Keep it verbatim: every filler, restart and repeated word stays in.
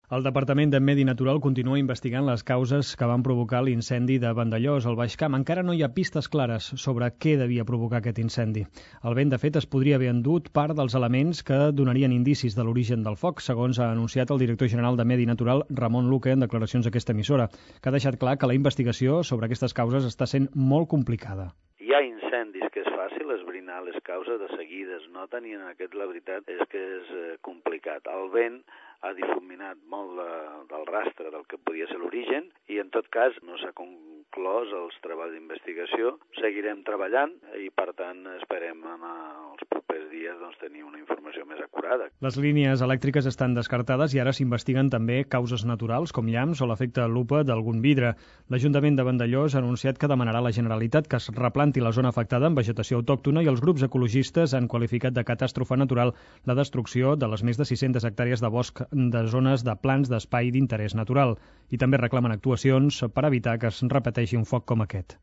El Departament de Medi Natural continua investigant les causes que van provocar l'incendi de Vandellòs, al Baix Camp. Encara no hi ha pistes clares sobre què devia provocar aquest incendi. El vent, de fet, es podria haver endut part dels elements que donarien indicis de l'origen del foc, segons ha anunciat el director general de Medi Natural, Ramon Luque, en declaracions a aquesta emissora, que ha deixat clar que la investigació sobre aquestes causes està sent molt complicada. Hi ha incendis que és fàcil esbrinar les causes de seguida, es noten, i en aquest la veritat és que és complicat. El vent ha difuminat molt de, del rastre del que podia ser l'origen i en tot cas no s'ha conclòs els treballs d'investigació. Seguirem treballant i per tant esperem en els propers dies doncs, tenir una informació més acurada. Les línies elèctriques estan descartades i ara s'investiguen també causes naturals com llamps o l'efecte lupa d'algun vidre. L'Ajuntament de Vandellòs ha anunciat que demanarà a la Generalitat que es replanti la zona afectada amb vegetació autòctona i els grups ecologistes han qualificat de catàstrofe natural la destrucció de les més de sis-centes hectàrees de bosc de zones de plans d'espai d'interès natural i també reclamen actuacions per evitar que es repeteixi un foc com aquest.